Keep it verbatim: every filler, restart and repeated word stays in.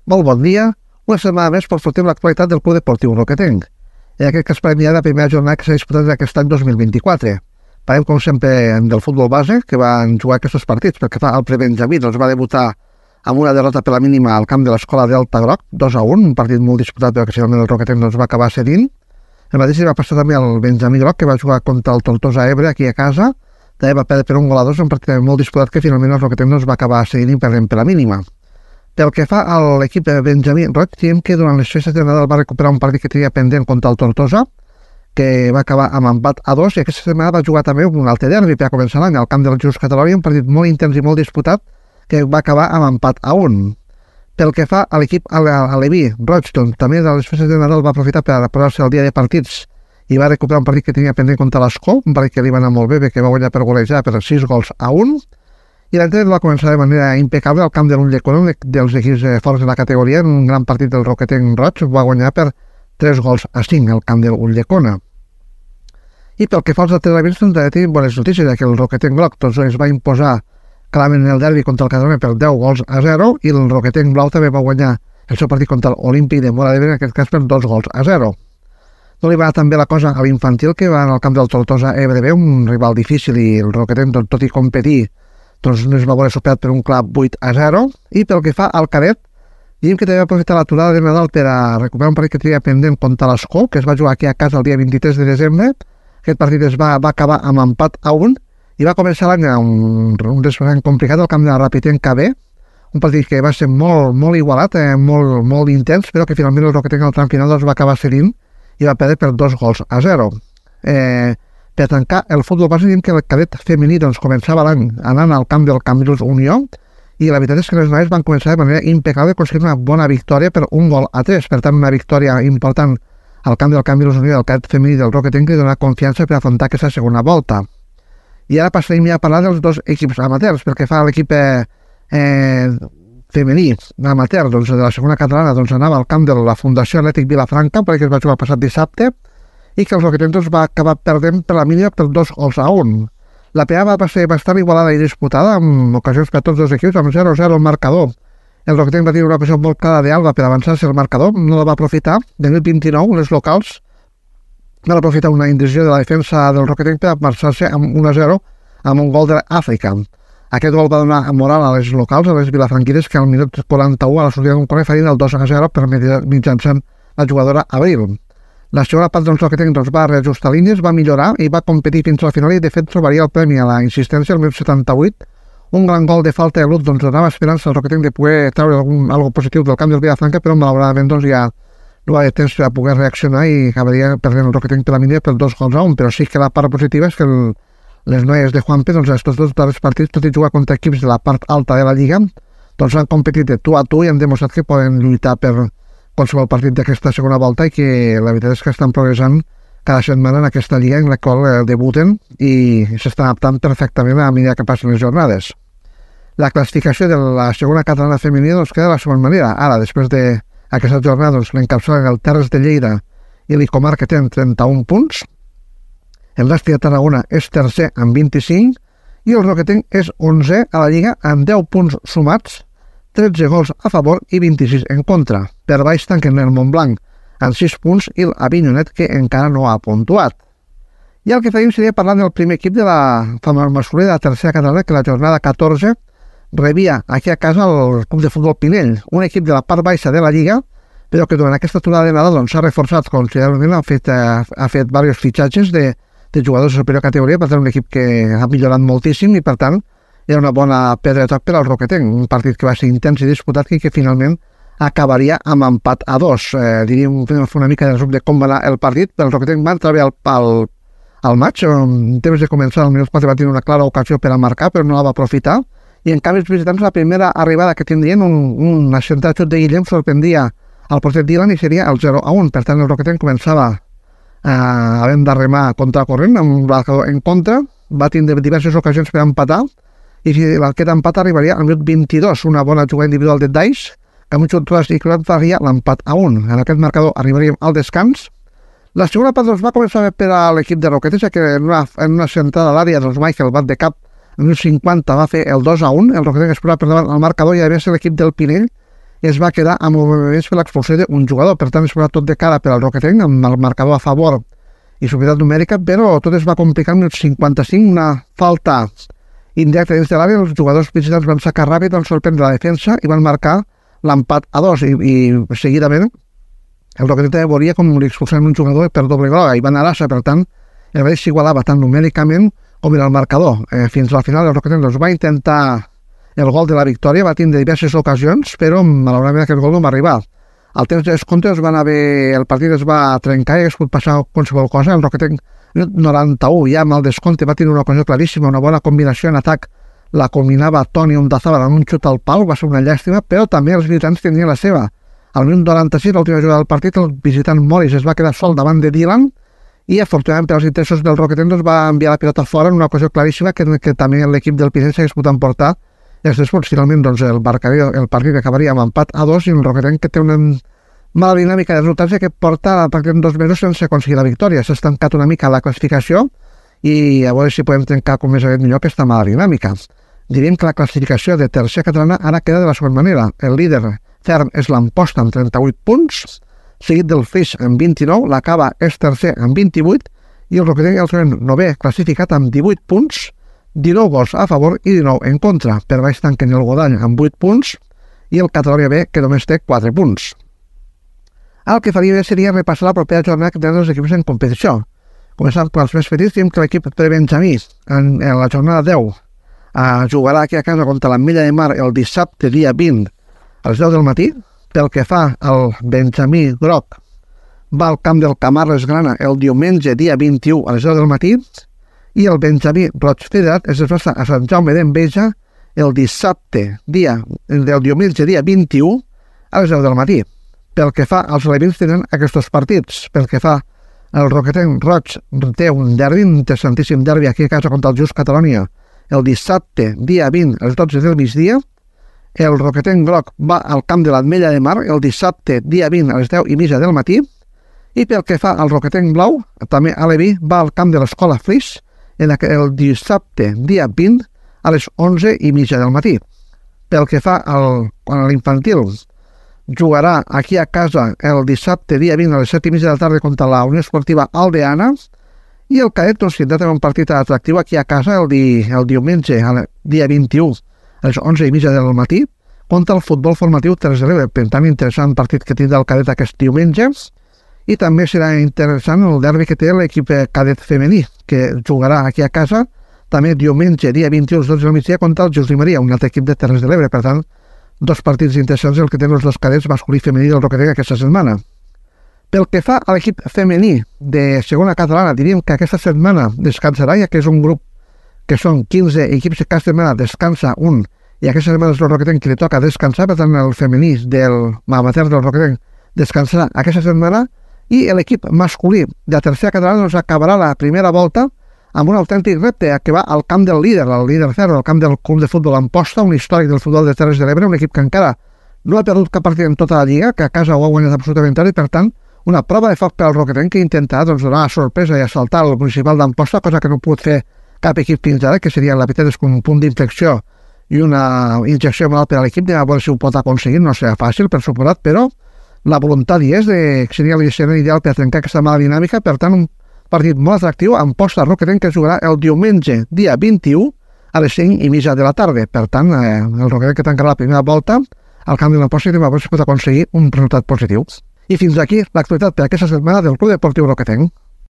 Molt bon dia. Una setmana més portem l'actualitat del Club Deportiu Roquetenc. En aquest cas parlem ja de la primera jornada que s'ha disputat aquest any dos mil vint-i-quatre. Parlem, com sempre, del futbol base, que van jugar aquests partits, perquè fa el prebenjamí doncs va debutar amb una derrota per la mínima al camp de l'escola Delta Groc, dos a un, un partit molt disputat, però que finalment el Roquetenc doncs, va acabar cedint. El mateix va passar també al Benjamí Groc, que va jugar contra el Tortosa Ebre aquí a casa. També va perdre per un gol a dos, un partit molt disputat que finalment el Roquetenc doncs, va acabar cedint i perdent per la mínima. Pel que fa a l'equip de Benjamí Roig, diem que durant les festes de Nadal va recuperar un partit que tenia pendent contra el Tortosa, que va acabar amb empat a dos, i aquesta setmana va jugar també un altre derbi per a començar l'any al camp del Just Catalunya, un partit molt intens i molt disputat, que va acabar amb empat a un. Pel que fa a l'equip aleví, Roig, doncs, també de les festes de Nadal va aprofitar per posar-se al dia de partits i va recuperar un partit que tenia pendent contra l'Escó, un partit que li va anar molt bé, que va guanyar per golejar per sis gols a un, i l'entrenament va començar de manera impecable al camp de l'Ulldecona, un dels equips forts de la categoria, en un gran partit del Roquetenc Roig, va guanyar per tres gols a cinc al camp de l'Ulldecona. I pel que fa als altres elements, doncs, tenim bones notícies, que el Roquetenc Groc doncs, es va imposar clarament en el derbi contra el Catalunya per deu gols a zero, i el Roquetenc Blau també va guanyar el seu partit contra l'Olímpic de Móra d'Ebre, en aquest cas per dos gols a zero. No li va anar també la cosa a l'infantil, que va al camp del Tortosa Ebre B, un rival difícil, i el Roquetenc, doncs, tot i competir, doncs no es va veure superat per un clar vuit a zero, i pel que fa al cadet, diguem que també va aprofitar l'aturada de Nadal per a recuperar un partit que tenia pendent contra l'Escó, que es va jugar aquí a casa el dia vint-i-tres de desembre. Aquest partit es va, va acabar amb empat a un, i va començar l'any un, un desplaçament complicat al camp de la Rapitenca B, un partit que va ser molt, molt igualat, eh, molt, molt intens, però que finalment el Roquetenc al tram final doncs, va acabar cedint i va perdre per dos gols a zero. Eh, Per tancar el futbol base, diem que el cadet femení doncs, començava l'any anant al camp del Cambrils Unió, i la veritat és que les noies van començar de manera impecable aconseguint una bona victòria per un gol a tres. Per tant, una victòria important al camp del Cambrils Unió del cadet femení del Roquetenc, que dona confiança per afrontar aquesta segona volta. I ara passarem ja a parlar dels dos equips amateurs. Pel que fa a l'equip eh, eh, femení amateur doncs, de la segona catalana, doncs, anava al camp de la Fundació Atlètic Vilafranca, perquè es va jugar el passat dissabte, i que el Roquetenc doncs, va acabar perdent per la mínima per dos gols a un. La primera va ser bastant igualada i disputada, amb ocasions per a tots dos equips, amb zero a zero el marcador. El Roquetenc va tenir una ocasió molt clara d'Alba per avançar-se el marcador, no la va aprofitar. De mil vint-i-nou, les locals van aprofitar una indecisió de la defensa del Roquetenc per marxar-se amb un a zero amb un gol de l'Àfrica. Aquest gol va donar moral a les locals, a les vilafranquines, que al minut quaranta-u a la sortida d'un corner farien el dos a zero per mitjançant la jugadora Abril. La segona part del Roquetenc doncs, va reajustar línies, va millorar i va competir fins al final, i de fet trobaria el premi a la insistència el minut setanta-vuit. Un gran gol de falta de Lut doncs, donava esperança al Roquetenc de poder treure algun, algo positiu del camp del Vilafranca, però malauradament doncs, ja no va haver temps per a poder reaccionar i acabaria perdent el Roquetenc per la mínima per dos gols a un. Però sí que la part positiva és que el, les noies de Juanpe, doncs, estos dos darrers partits, tot i jugar contra equips de la part alta de la Lliga, doncs han competit de tu a tu i han demostrat que poden lluitar per qualsevol partit d'aquesta segona volta, i que la veritat és que estan progressant cada setmana en aquesta lliga en la qual eh, debuten i s'estan adaptant perfectament a mesura que passen les jornades. La classificació de la segona catalana femenina doncs, queda de la següent manera. Ara, després d'aquesta jornada, doncs, l'encapçalen el Terres de Lleida i l'Icomar, que tenen trenta-un punts. El Nàstic de Tarragona és tercer amb vint-i-cinc, i el Roquetenc és onzè a la lliga amb deu punts sumats, tretze gols a favor i vint-i-sis en contra. Per baix tanquen el Montblanc amb sis punts i l'Avinyonet, que encara no ha puntuat. I el que faríem seria parlar del primer equip de la masculina de la tercera catalana, que la jornada catorze rebia aquí a casa el Club de Futbol Pinell, un equip de la part baixa de la Lliga, però que durant aquesta aturada de Nadal s'ha doncs, reforçat considerablement, ha fet, ha, ha fet diversos fitxatges de, de jugadors de superior categoria, per tant un equip que ha millorat moltíssim, i per tant era una bona pedra de toc per al Roquetenc, un partit que va ser intens i disputat i que finalment acabaria amb empat a dos. Eh, diríem una mica de resum de com va anar el partit. El Roquetenc va entrar bé al, al, al maig, en temps de començar al minut quatre va tenir una clara ocasió per a marcar, però no la va aprofitar, i en canvi els visitants la primera arribada que tindrien, un, un accentat xut de Guillem, sorprendia al porter Dylan i seria el zero a un. Per tant, el Roquetenc començava eh, havent de remar contra corrent, amb un marcador en contra, va tindre diverses ocasions per empatar, i aquest empat arribaria al minut vint-i-dos, una bona jugada individual de Dais, que amb un xut ras i clat faria l'empat a un. En aquest marcador arribaríem al descans. La segona part doncs, va començar per a l'equip de Roquetes, que en una, en una centrada a l'àrea doncs, Michael bat de cap en el cinquanta va fer el dos a un, el Roquetes es posava per davant al marcador, i a més l'equip del Pinell es va quedar amb moviments per l'expulsió d'un jugador. Per tant, es posava tot de cara per al Roquetenc, amb el marcador a favor i superioritat numèrica, però tot es va complicar en el cinquanta-cinc, una falta indirecta dins de l'àrea. Els jugadors visitants van sacar ràpid, van sorprendre la defensa i van marcar l'empat a dos, i, i seguidament el Roquetenc també volia com li expulsaven un jugador per doble groga i van a l'assa. Per tant, el Valls s'igualava tant numèricament com en el marcador. Eh, fins al final el Roquetenc doncs, va intentar el gol de la victòria, va tindre diverses ocasions, però malauradament aquest gol no va arribar. Al temps de descompte es van haver, el partit es va trencar i es pot passar qualsevol cosa. El Roquetenc noranta-u, ja amb el descompte, va tenir una ocasió claríssima, una bona combinació en atac. La combinava Toni Ondazábal en un xut al pal, va ser una llàstima, però també els visitants tenien la seva. Al minut noranta-sis, l'última jugada del partit, el visitant Morris es va quedar sol davant de Dylan i, afortunadament per als interessos del Roquetenc, doncs, va enviar la pilota fora en una ocasió claríssima que, que també l'equip del Pinell s'hagués pogut emportar. I després, finalment, doncs, el, marcaria, el partit acabaria amb empat a dos i el Roquetenc, que té una mala dinàmica de resultats que porta pràcticament dos mesos sense aconseguir la victòria. S'ha estancat una mica la classificació i a veure si podem trencar com més aviat millor aquesta mala dinàmica. Diríem que la classificació de tercera catalana ara queda de la següent manera. El líder ferm és l'Amposta amb trenta-vuit punts, seguit del Flix amb vint-i-nou, la Cava és tercer amb vint-i-vuit i el Roquetenc el trobem novè classificat amb divuit punts, dinou gols a favor i dinou en contra. Per baix tanquen el Godall amb vuit punts i el Catalunya B, que només té quatre punts. El que faria bé seria repassar la propera jornada que tenen els equips en competició. Començant pels més petits, diem que l'equip prebenjamí en, en la jornada deu eh, jugarà aquí a casa contra l'Ametlla de Mar el dissabte dia vint a les deu del matí. Pel que fa al Benjamí groc, va al camp del Camarles Grana el diumenge dia vint-i-u a les deu del matí i el Benjamí Roig Federat es desplaça a Sant Jaume d'Enveja el dissabte dia, del diumenge dia vint-i-u a les deu del matí. Pel que fa als alevins tenen aquests partits. Pel que fa al Roquetenc Roig té un derbi, un interessantíssim derbi aquí a casa contra el Just Catalonia el dissabte dia vint a les dotze del migdia. El Roquetenc groc va al camp de l'Ametlla de Mar el dissabte dia vint a les deu i mitja del matí. I pel que fa al Roquetenc blau, també aleví va al camp de l'Escola Flix el dissabte dia vint a les onze i mitja del matí. Pel que fa al, a l'infantil, jugarà aquí a casa el dissabte dia vint a les set i mitja de la tarda contra la Unió Esportiva Aldeana i el cadet doncs, tindrà també un partit atractiu aquí a casa el, di, el diumenge, el dia vint-i-u a les onze i mitja del matí contra el futbol formatiu Terres de l'Ebre. Per tant, interessant partit que tindrà el cadet aquest diumenge. I també serà interessant el derbi que té l'equip cadet femení, que jugarà aquí a casa també diumenge, dia vint-i-u, a les dotze del migdia, contra el José Maria, un altre equip de Terres de l'Ebre. Per tant, dos partits interessants el que tenen els dos cadets masculí i femení del Roquetenc aquesta setmana. Pel que fa a l'equip femení de segona catalana, diríem que aquesta setmana descansarà, ja que és un grup que són quinze equips que cada setmana descansa un, i aquesta setmana és el Roquetenc que li toca descansar. Per tant, el femení del amateur del Roquetenc descansarà aquesta setmana i l'equip masculí de la tercera catalana doncs, acabarà la primera volta amb un autèntic repte que va al camp del líder, el líder ferro, al camp del club de futbol Amposta, un històric del futbol de Terres de l'Ebre, un equip que encara no ha perdut cap partit en tota la lliga, que a casa ho ha guanyat absolutament tot, i per tant una prova de foc per al Roquetenc que intentarà doncs, donar sorpresa i assaltar el municipal d'Amposta, cosa que no ha pogut fer cap equip fins ara, que seria la veritat és un punt d'inflexió i una injecció moral per a l'equip. A veure si ho pot aconseguir, no serà fàcil per suposat, però la voluntat hi és, de, que seria l'escenari ideal per trencar aquesta mala dinàmica. Per tant, un partit molt atractiu, Amposta Roquetenc, que jugarà el diumenge, dia vint-i-u, a les cinc i mitja de la tarda. Per tant, eh, el Roquetenc que tancarà la primera volta al camp de l'Amposta i demà si pot aconseguir un resultat positiu. I fins aquí l'actualitat per aquesta setmana del Club Deportiu Roquetenc.